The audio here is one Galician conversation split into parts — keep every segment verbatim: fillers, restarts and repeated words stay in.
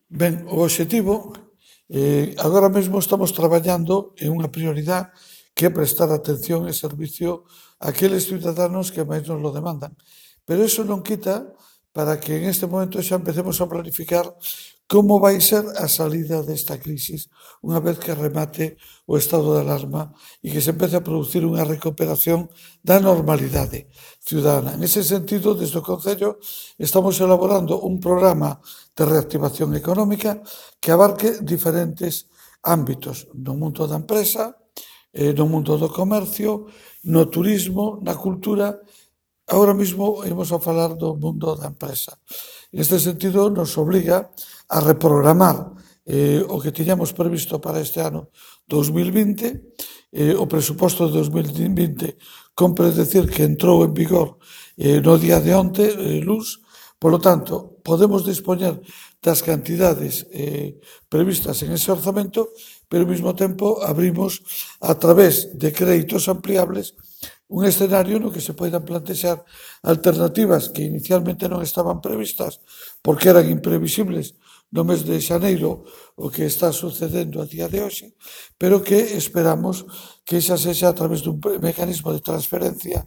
Ben, o obxectivo, eh, agora mesmo estamos traballando en unha prioridade que é prestar atención e servicio àqueles ciudadanos que máis nos lo demandan. Pero iso non quita para que en este momento xa empecemos a planificar como vai ser a salida desta crisis unha vez que remate o estado de alarma e que se empece a producir unha recuperación da normalidade ciudadana. En ese sentido, desde o Concello estamos elaborando un programa de reactivación económica que abarque diferentes ámbitos no mundo da empresa, eh, no mundo do comercio, no turismo, na cultura. Agora mesmo imos a falar do mundo da empresa. Neste sentido, nos obriga a reprogramar eh, o que tiñamos previsto para este ano dos mil vinte. Eh, o presuposto de dos mil vinte compre decir que entrou en vigor eh, no día de onte, eh, luz. Polo tanto, podemos dispoñer das cantidades eh, previstas en ese orzamento, pero ao mesmo tempo abrimos a través de créditos ampliables un escenario no que se poidan plantexar alternativas que inicialmente non estaban previstas porque eran imprevisibles no mes de xaneiro o que está sucedendo a día de hoxe, pero que esperamos que xa sexa a través dun mecanismo de transferencia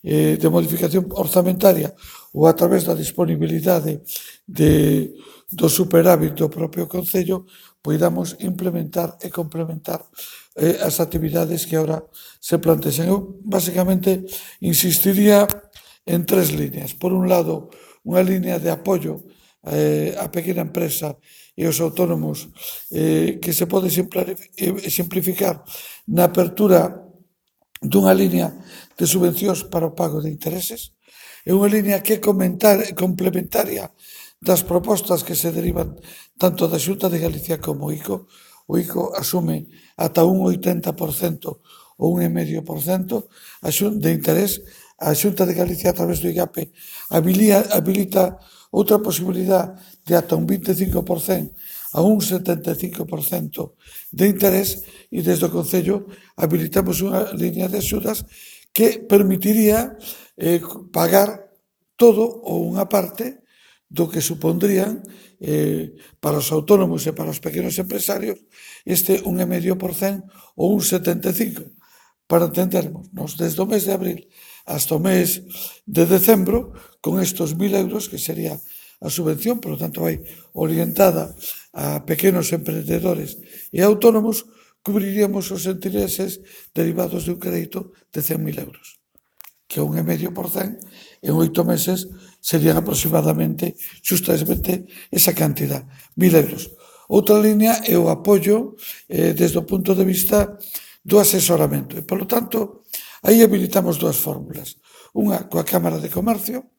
eh, de modificación orzamentaria ou a través da disponibilidade de, do superávit do propio Concello poidamos implementar e complementar eh, as actividades que agora se plantexan. Eu, basicamente, insistiría en tres líneas. Por un lado, unha línea de apoio eh, á pequena empresa e aos autónomos eh, que se pode simplificar na apertura dunha línea de subvencións para o pago de intereses. É unha línea que é complementaria das propostas que se derivan tanto da Xunta de Galicia como o I C O. O I C O asume ata un oitenta por cento ou un cinco por cento de interés. A Xunta de Galicia, a través do I G A P, habilita outra posibilidade de ata un vinte e cinco por cento a un setenta e cinco por cento de interés e desde o Concello habilitamos unha línea de axudas que permitiría eh, pagar todo ou unha parte do que supondrían eh, para os autónomos e para os pequenos empresarios este un cinco por cento ou un setenta e cinco por cento. Para entendermos, nos desde o mes de abril hasta o mes de decembro, con estos mil euros, que sería a subvención, por lo tanto vai orientada a pequenos emprendedores e autónomos, cubriríamos os intereses derivados de un crédito de cen mil euros, que é un cinco por cento, en oito meses serían aproximadamente justamente esa cantidad, mil euros. Outra línea é o apoio eh, desde o punto de vista do asesoramento. E, polo tanto, aí habilitamos dúas fórmulas. Unha coa Cámara de Comercio,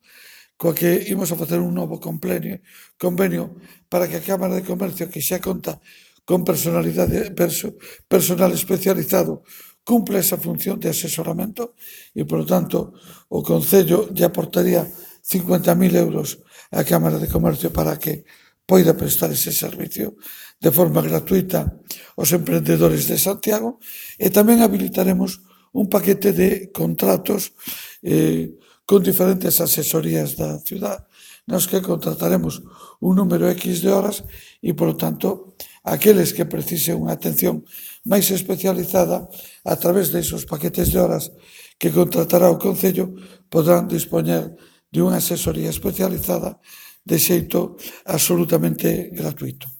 coa que imos a facer un novo convenio, convenio para que a Cámara de Comercio, que xa conta con personalidade, perso, personal especializado, cumpla esa función de asesoramento e, por lo tanto, o Concello lle aportaría cincuenta mil euros á Cámara de Comercio para que poida prestar ese servicio de forma gratuita aos emprendedores de Santiago e tamén habilitaremos un paquete de contratos eh, con diferentes asesorías da ciudad nos que contrataremos un número X de horas e, por lo tanto, aqueles que precisen unha atención máis especializada a través de esos paquetes de horas que contratará o Concello podrán dispoñer de unha asesoría especializada de xeito absolutamente gratuito.